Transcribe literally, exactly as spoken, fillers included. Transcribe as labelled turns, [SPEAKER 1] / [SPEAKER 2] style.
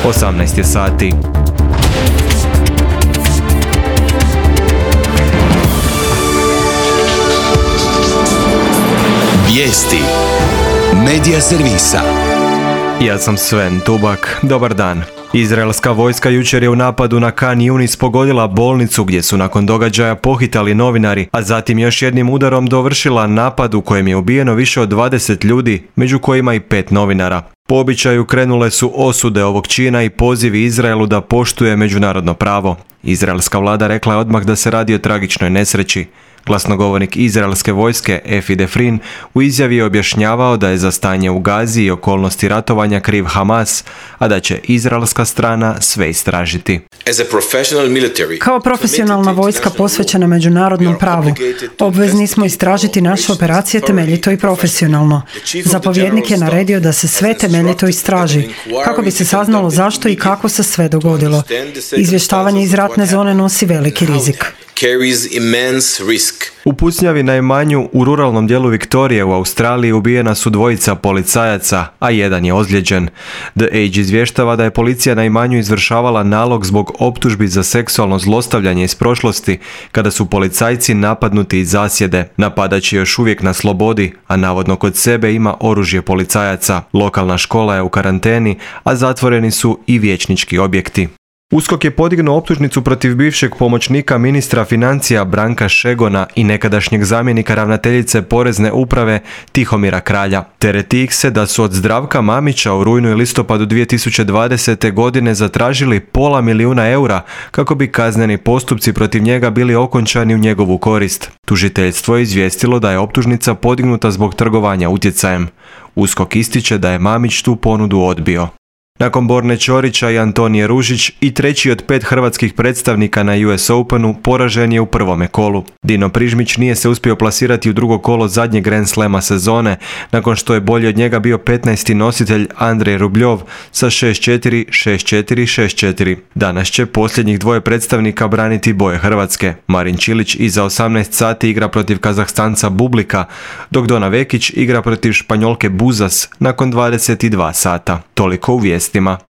[SPEAKER 1] osamnaest je sati.
[SPEAKER 2] Vijesti Medija servisa.
[SPEAKER 1] Ja sam Sven Tubak. Dobar dan. Izraelska vojska jučer je u napadu na Khan Yunis pogodila bolnicu gdje su nakon događaja pohitali novinari, a zatim još jednim udarom dovršila napad u kojem je ubijeno više od dvadeset ljudi, među kojima i pet novinara. Po običaju krenule su osude ovog čina i pozivi Izraelu da poštuje međunarodno pravo. Izraelska vlada rekla je odmah da se radi o tragičnoj nesreći. Glasnogovornik izraelske vojske Efi Defrin u izjavi je objašnjavao da je za stanje u Gazi i okolnosti ratovanja kriv Hamas, a da će izraelska strana sve istražiti.
[SPEAKER 3] Kao profesionalna vojska posvećena međunarodnom pravu, obvezni smo istražiti naše operacije temeljito i profesionalno. Zapovjednik je naredio da se sve temeljito istraži, kako bi se saznalo zašto i kako se sve dogodilo. Izvještavanje iz ratne zone nosi veliki rizik.
[SPEAKER 1] U pucnjavi na imanju u ruralnom dijelu Viktorije u Australiji ubijena su dvojica policajaca, a jedan je ozlijeđen. The Age izvještava da je policija na imanju izvršavala nalog zbog optužbi za seksualno zlostavljanje iz prošlosti, kada su policajci napadnuti iz zasjede. Napadač je još uvijek na slobodi, a navodno kod sebe ima oružje policajaca. Lokalna škola je u karanteni, a zatvoreni su i vijećnički objekti. USKOK je podignuo optužnicu protiv bivšeg pomoćnika ministra financija Branka Šegona i nekadašnjeg zamjenika ravnateljice Porezne uprave Tihomira Kralja. Tereti ih se da su od Zdravka Mamića u rujnu i listopadu dvije tisuće dvadesete. godine zatražili pola milijuna eura kako bi kazneni postupci protiv njega bili okončani u njegovu korist. Tužiteljstvo je izvijestilo da je optužnica podignuta zbog trgovanja utjecajem. USKOK ističe da je Mamić tu ponudu odbio. Nakon Borne Ćorića i Antonije Ružić i treći od pet hrvatskih predstavnika na U S Openu poražen je u prvome kolu. Dino Prižmić nije se uspio plasirati u drugo kolo zadnjeg Grand Slema sezone, nakon što je bolji od njega bio petnaesti nositelj Andrej Rubljov sa šest četiri, šest četiri, šest četiri. Danas će posljednjih dvoje predstavnika braniti boje Hrvatske. Marin Čilić iza osamnaest sati igra protiv Kazahstanca Bublika, dok Dona Vekić igra protiv Španjolke Buzas nakon dvadeset dva sata. Toliko u vijestima.